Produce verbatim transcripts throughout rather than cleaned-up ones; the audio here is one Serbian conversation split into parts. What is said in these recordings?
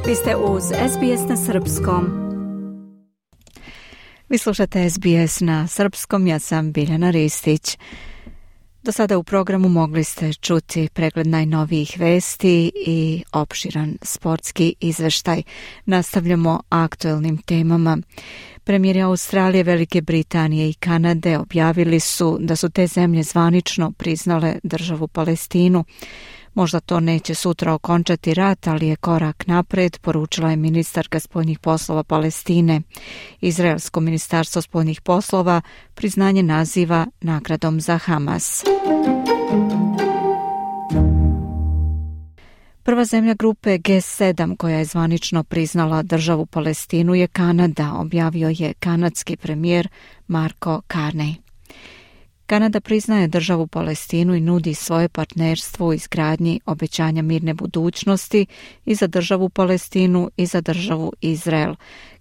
Vi ste uz S B S na srpskom. Vi slušate S B S na srpskom, ja sam Biljana Ristić. Do sada u programu mogli ste čuti pregled najnovijih vesti i opširan sportski izveštaj. Nastavljamo aktuelnim temama. Premijeri Australije, Velike Britanije i Kanade objavili su da su te zemlje zvanično priznale državu Palestinu. Možda to neće sutra okončati rat, ali je korak napred, poručila je ministarka spoljnih poslova Palestine. Izraelsko ministarstvo spoljnih poslova priznanje naziva nagradom za Hamas. Prva zemlja grupe G sedam koja je zvanično priznala državu Palestinu je Kanada, objavio je kanadski premijer Marko Carney. Kanada priznaje državu Palestinu i nudi svoje partnerstvo u izgradnji obećanja mirne budućnosti i za državu Palestinu i za državu Izrael.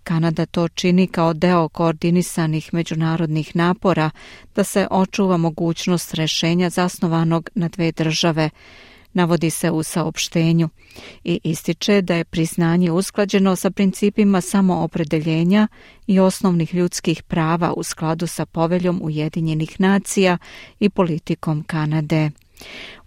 Kanada to čini kao deo koordinisanih međunarodnih napora da se očuva mogućnost rešenja zasnovanog na dve države, navodi se u saopštenju, i ističe da je priznanje usklađeno sa principima samoopredeljenja i osnovnih ljudskih prava u skladu sa poveljom Ujedinjenih nacija i politikom Kanade.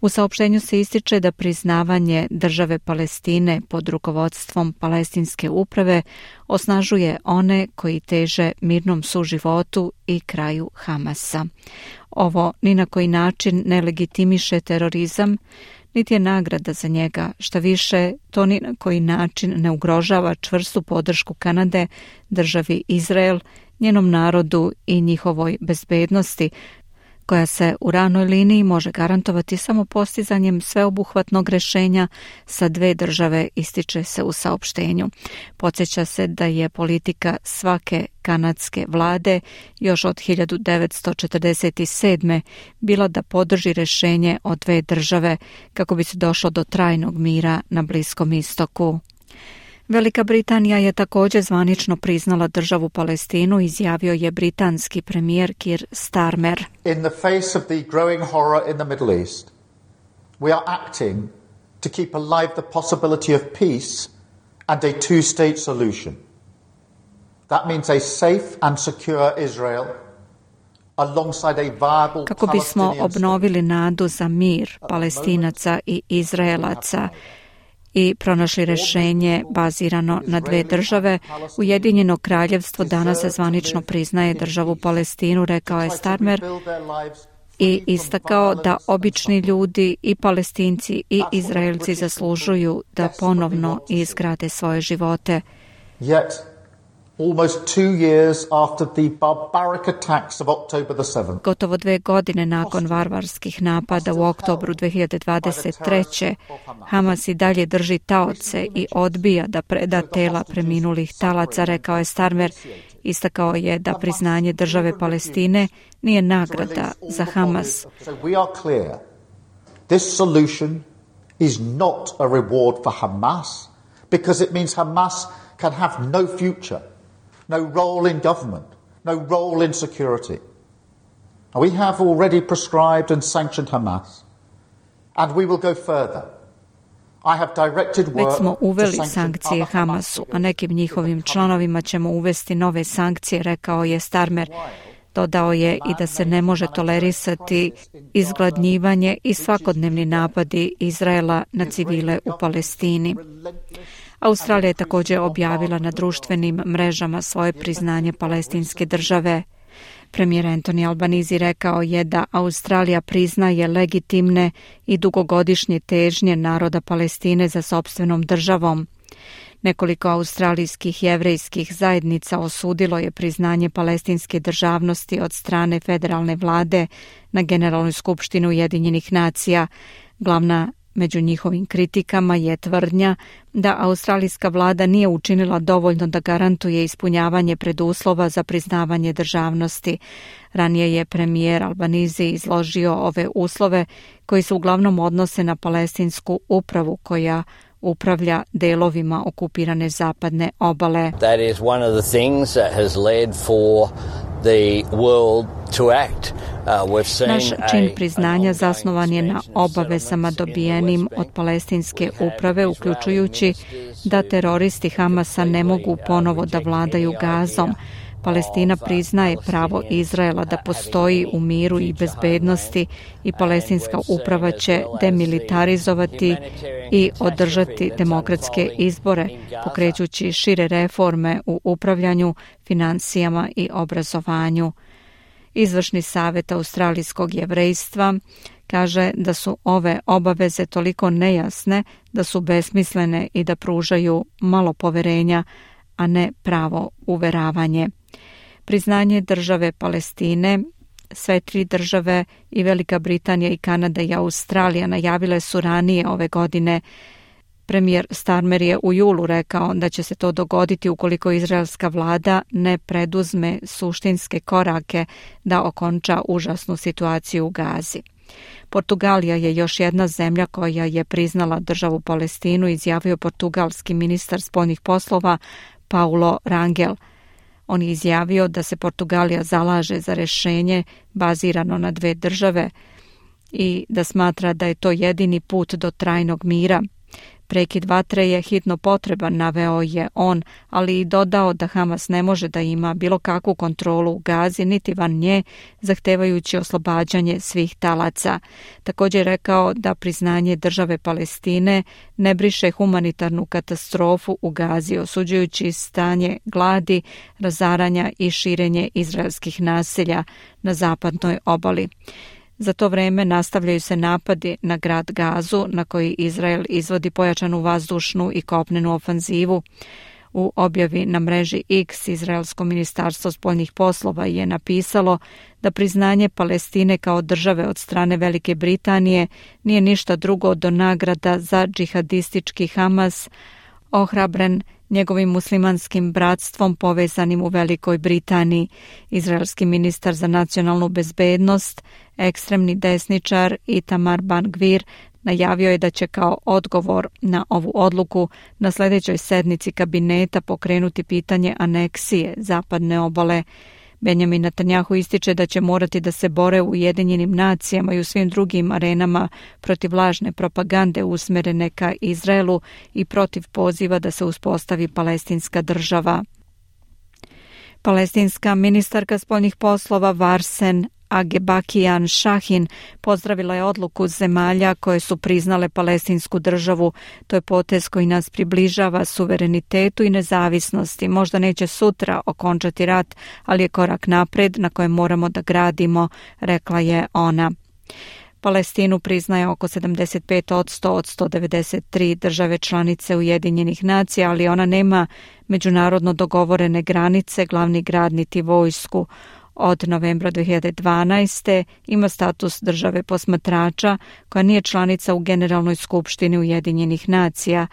U saopštenju se ističe da priznavanje države Palestine pod rukovodstvom palestinske uprave osnažuje one koji teže mirnom suživotu i kraju Hamasa. Ovo ni na koji način ne legitimiše terorizam, niti je nagrada za njega, šta više, to ni na koji način ne ugrožava čvrstu podršku Kanade državi Izrael, njenom narodu i njihovoj bezbednosti, koja se u ranoj liniji može garantovati samo postizanjem sveobuhvatnog rešenja sa dve države, ističe se u saopštenju. Podsjeća se da je politika svake kanadske vlade još od hiljadu devetsto četrdeset sedme bila da podrži rešenje o dve države kako bi se došlo do trajnog mira na Bliskom istoku. Velika Britanija je također zvanično priznala državu Palestinu, izjavio je britanski premijer Keir Starmer. In the face of the growing horror in the Middle East, we are acting to keep alive the possibility of peace and a two-state solution. That means a safe and secure Israel alongside a viable Kako bismo obnovili nadu za mir Palestinaca i Izraelaca i pronašli rešenje bazirano na dve države, Ujedinjeno kraljevstvo danas zvanično priznaje državu Palestinu, rekao je Starmer, i istakao da obični ljudi i Palestinci i Izraelci zaslužuju da ponovno izgrade svoje živote. Yet, almost two years after the barbaric attacks of October the seventh. Gotovo dve godine nakon varvarskih napada u oktobru dve hiljade dvadeset treće. Hamas i dalje drži taoce i odbija da preda tela preminulih talaca, rekao je Starmer. Istakao je da priznanje države Palestine nije nagrada za Hamas. So we are clear. This solution is not a reward for Hamas because it means Hamas can have no future. No role in government, no role in security. We have already proscribed and sanctioned Hamas, and we will go further. I have directed work Već smo uveli to sankcije Hamasu, a nekim njihovim članovima ćemo uvesti nove sankcije, rekao je Starmer. Dodao je i da se ne može tolerisati izgladnjivanje i svakodnevni napadi Izraela na civile u Palestini. Australija je također objavila na društvenim mrežama svoje priznanje palestinske države. Premijer Anthony Albanese rekao je da Australija priznaje legitimne i dugogodišnje težnje naroda Palestine za sopstvenom državom. Nekoliko australijskih jevrejskih zajednica osudilo je priznanje palestinske državnosti od strane federalne vlade na Generalnoj skupštini Ujedinjenih nacija. Glavna među njihovim kritikama je tvrdnja da australijska vlada nije učinila dovoljno da garantuje ispunjavanje preduslova za priznavanje državnosti. Ranije je premijer Albanese izložio ove uslove koji se uglavnom odnose na palestinsku upravu koja upravlja delovima okupirane zapadne obale. That is one of the things that has led for the world to act. Uh, Naš čin priznanja zasnovan je na obavezama dobijenim od palestinske uprave, uključujući da teroristi Hamasa ne mogu ponovo da vladaju Gazom. Palestina priznaje pravo Izraela da postoji u miru i bezbednosti i palestinska uprava će demilitarizovati i održati demokratske izbore, pokrećući šire reforme u upravljanju, finansijama i obrazovanju. Izvršni savjet australijskog jevrejstva kaže da su ove obaveze toliko nejasne da su besmislene i da pružaju malo poverenja, a ne pravo uveravanje. Priznanje države Palestine, sve tri države i Velika Britanija i Kanada i Australija najavile su ranije ove godine. Premijer Starmer je u julu rekao da će se to dogoditi ukoliko izraelska vlada ne preduzme suštinske korake da okonča užasnu situaciju u Gazi. Portugalija je još jedna zemlja koja je priznala državu Palestinu, izjavio portugalski ministar spoljnih poslova Paulo Rangel. On je izjavio da se Portugalija zalaže za rješenje bazirano na dve države i da smatra da je to jedini put do trajnog mira. Prekid vatre je hitno potreban, naveo je on, ali i dodao da Hamas ne može da ima bilo kakvu kontrolu u Gazi, niti van nje, zahtevajući oslobađanje svih talaca. Također je rekao da priznanje države Palestine ne briše humanitarnu katastrofu u Gazi, osuđujući stanje gladi, razaranja i širenje izraelskih naselja na zapadnoj obali. Za to vrijeme nastavljaju se napadi na grad Gazu, na koji Izrael izvodi pojačanu vazdušnu i kopnenu ofanzivu. U objavi na mreži X Izraelsko ministarstvo spoljnih poslova je napisalo da priznanje Palestine kao države od strane Velike Britanije nije ništa drugo do nagrada za džihadistički Hamas, ohrabren njegovim muslimanskim bratstvom povezanim u Velikoj Britaniji. Izraelski ministar za nacionalnu bezbednost, ekstremni desničar Itamar Ben-Gvir, najavio je da će kao odgovor na ovu odluku na sljedećoj sednici kabineta pokrenuti pitanje aneksije zapadne obale. Benjamin Netanjahu ističe da će morati da se bore u Ujedinjenim nacijama i u svim drugim arenama protiv lažne propagande usmjerene ka Izraelu i protiv poziva da se uspostavi palestinska država. Palestinska ministarka spoljnih poslova Varsen Agebakian Shahin pozdravila je odluku zemalja koje su priznale palestinsku državu. To je potez koji nas približava suverenitetu i nezavisnosti. Možda neće sutra okončati rat, ali je korak napred na kojem moramo da gradimo, rekla je ona. Palestinu priznaje oko sedamdeset pet posto od sto devedeset tri države članice Ujedinjenih nacija, ali ona nema međunarodno dogovorene granice, glavni grad niti vojsku. Od novembra dvije hiljade dvanaeste ima status države posmatrača koja nije članica u Generalnoj skupštini Ujedinjenih nacija.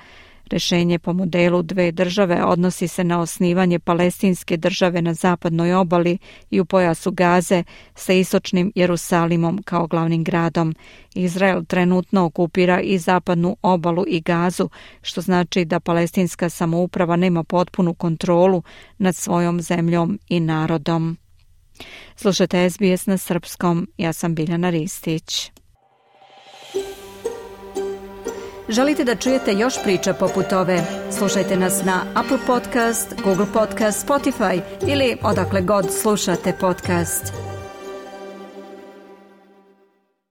Rješenje po modelu dve države odnosi se na osnivanje palestinske države na zapadnoj obali i u pojasu Gaze sa istočnim Jerusalimom kao glavnim gradom. Izrael trenutno okupira i zapadnu obalu i Gazu, što znači da palestinska samouprava nema potpunu kontrolu nad svojom zemljom i narodom. Slušajte S B S na srpskom, ja sam Biljana Ristić. Želite da čujete još priča poput ove? Slušajte nas na Apple Podcast, Google Podcast, Spotify ili odakle god slušate podcast.